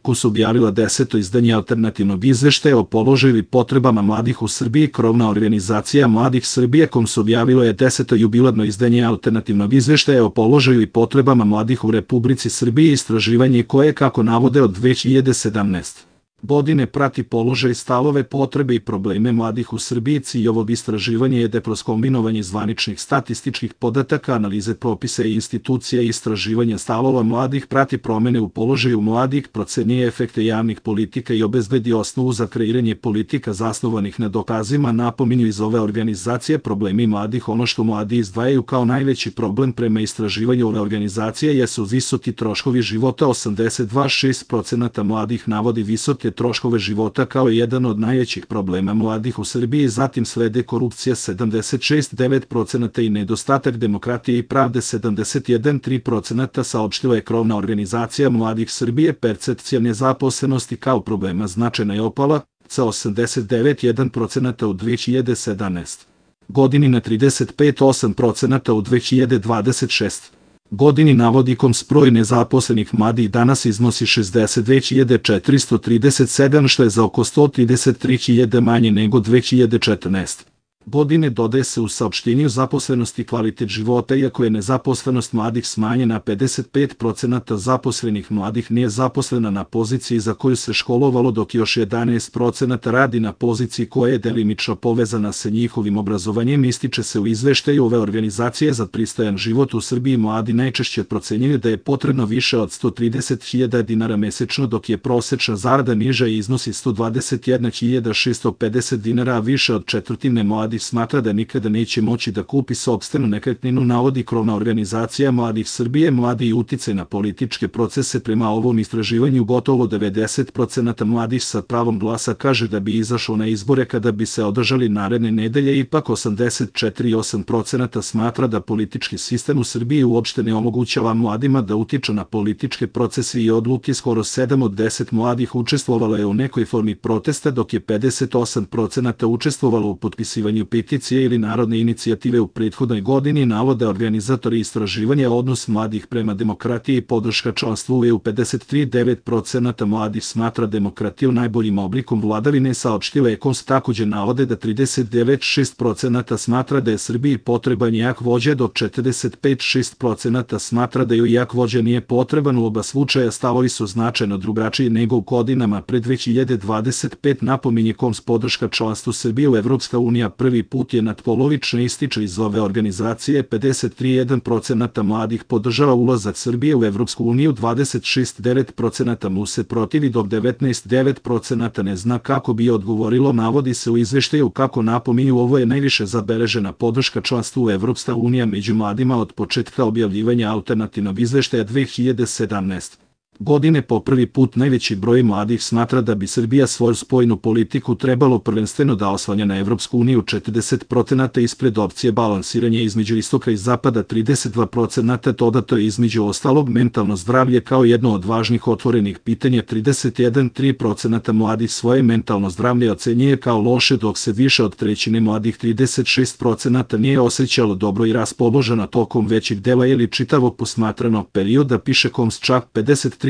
ko su objavila 10. izdanje alternativnog izveštaja o položaju i potrebama mladih u Srbiji. Krovna organizacija Mladih Srbije kom su objavilo je 10. jubilarno izdanje alternativnog izveštaja o položaju i potrebama mladih u Republici Srbiji, istraživanje koje, kako navode, od 2017. godine prati položaj, stavove, potrebe i probleme mladih u Srbiji. Cilj ovog istraživanja je kroz kombinovanje zvaničnih statističkih podataka, analize propisa i institucija i istraživanja stavova mladih, prati promene u položaju mladih, procenjuje efekte javnih politika i obezbedi osnovu za kreiranje politika zasnovanih na dokazima. Napominju iz ove organizacije problemi mladih. Ono što mladi izdvajaju kao najveći problem prema istraživanju ove organizacije jesu visoki troškovi života. 82,6% mladih navodi visoke troškove života kao jedan od najvećih problema mladih u Srbiji, zatim slede korupcija 76,9% i nedostatak demokratije i pravde 71,3%, saopštila je krovna organizacija Mladih Srbije. Percepcija nezaposlenosti kao problema značajno je opala sa 89,1% u 2017. godini na 35,8% u 2026. godini. Navodi broj nezaposlenih mladih danas iznosi 62.437, što je za oko 133.000 manje nego 2014. godine. Dodaje se u saopštenju zaposlenosti kvalitet života. Iako je nezaposlenost mladih smanjena, 55% zaposlenih mladih nije zaposlena na poziciji za koju se školovalo, dok još 11% radi na poziciji koja je delimično povezana sa njihovim obrazovanjem. Ističe se u izveštaju ove organizacije za pristojan život u Srbiji mladi najčešće procenjuju da je potrebno više od 130.000 dinara mesečno, dok je prosečna zarada niža i iznosi 121.650 dinara, a više od četvrtine mladih smatra da nikada neće moći da kupi sopstvenu nekretninu, navodi krovna organizacija Mladih Srbije. Mladi i uticaj na političke procese. Prema ovom istraživanju gotovo 90% mladih sa pravom glasa kaže da bi izašlo na izbore kada bi se održali naredne nedelje. Ipak 84,8% smatra da politički sistem u Srbiji uopšte ne omogućava mladima da utiču na političke procese i odluke. Skoro 7 od 10 mladih učestvovalo je u nekoj formi protesta, dok je 58% učestvovalo u potpisivanju peticije ili narodne inicijative u prethodnoj godini, navode organizatori istraživanja. Odnos mladih prema demokratiji i podrška članstvu u EU. 53,9% mladih smatra demokratiju najboljim oblikom vladavine, saopštila je KOS. Takođe navode da 39,6% smatra da je Srbiji potreban jak vođa, dok 45,6% smatra da joj jak vođa nije potreban. U oba slučaja stavovi su značajno drugačiji nego u godinama pred 2025. Napominje KOS. Podrška članstvu Srbije u Evropska unija prvi put je nadpolovično, ističe iz ove organizacije. 53,1% mladih podržava ulazak Srbije u Evropsku uniju, 26,9% mu se protivi, dok 19,9% ne zna kako bi odgovorilo. Navodi se u izveštaju kako napominju ovo je najviše zabeležena podrška članstvu u Evropska unija među mladima od početka objavljivanja alternativnog izveštaja 2017. godine. Po prvi put najveći broj mladih smatra da bi Srbija svoju spoljnu politiku trebalo prvenstveno da oslanja na Evropsku uniju, 40% ispred opcije balansiranja između istoka i zapada, 32% dodato je između ostalog mentalno zdravlje kao jedno od važnih otvorenih pitanja, 31,3% mladih svoje mentalno zdravlje ocenjuje kao loše, dok se više od trećine mladih, 36%, nije osjećalo dobro i raspoloženo tokom većeg dela ili čitavog posmatranog perioda, piše KOS. Čak 53%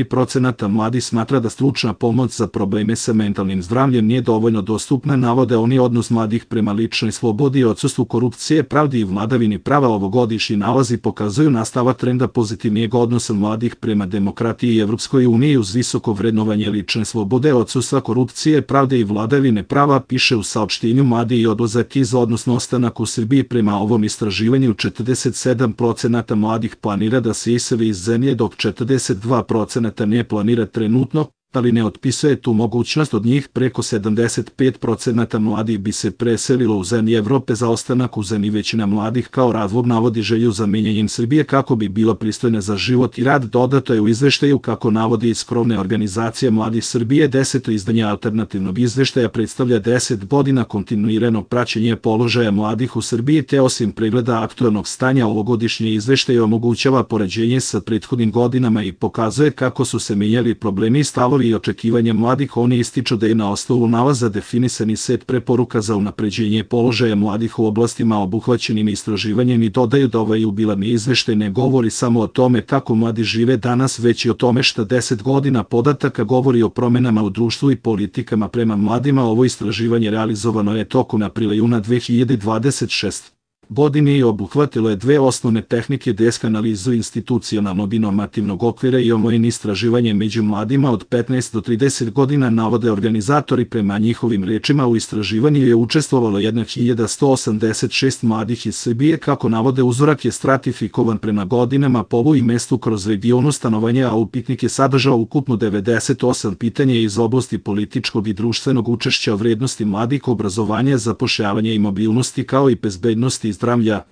mladih smatra da stručna pomoć za probleme sa mentalnim zdravljem nije dovoljno dostupna, navode oni. Odnos mladih prema ličnoj slobodi i odsustvu korupcije, pravdi i vladavini prava. Ovogodišnji nalazi pokazuju nastavak trenda pozitivnijeg odnosa mladih prema demokratiji i Evropskoj uniji uz visoko vrednovanje lične slobode, odsustva korupcije, pravde i vladavine prava, piše u saopštenju. Mladi i odlazak iz, odnosno ostanak u Srbiji. Prema ovom istraživanju 47% mladih planira da se iseli iz zemlje, dok 42% ne planira trenutno, ali ne otpisuje tu mogućnost. Od njih preko 75% mladih bi se preselilo u zemlje Evrope za ostanak u zemlji. Većina mladih kao razlog navodi želju za menjanjem Srbije kako bi bila pristojna za život i rad. Dodato je u izveštaju kako navodi iz krovne organizacije Mladih Srbije. 10. izdanje alternativnog izveštaja predstavlja 10 godina kontinuiranog praćenja položaja mladih u Srbiji, te osim pregleda aktuelnog stanja ovogodišnje izveštaje omogućava poređenje sa prethodnim godinama i pokazuje kako su se menjali problemi i stavovi stavovi i očekivanja mladih. Oni ističu da je na osnovu nalaza definisani set preporuka za unapređenje položaja mladih u oblastima obuhvaćenim istraživanjem i dodaju da ovaj jubilarni izveštaj ne govori samo o tome kako mladi žive danas, već i o tome šta 10 godina podataka govori o promenama u društvu i politikama prema mladima. Ovo istraživanje realizovano je tokom aprila-juna 2026. godine i obuhvatilo je dve osnovne tehnike: desk analizu institucionalnog i normativnog okvira i omojeno istraživanje među mladima od 15 do 30 godina. Navode organizatori. Prema njihovim rečima u istraživanju je učestvovalo 1186 mladih iz Srbije. Kako navode, uzorak je stratifikovan prema godinama, polu i mestu kroz regionu stanovanja, a upitnik je sadržao ukupno 98 pitanja iz oblasti političkog i društvenog učešća, vrednosti mladih, obrazovanja, zapošljavanja i mobilnosti, kao i bezbednosti i zdravlja.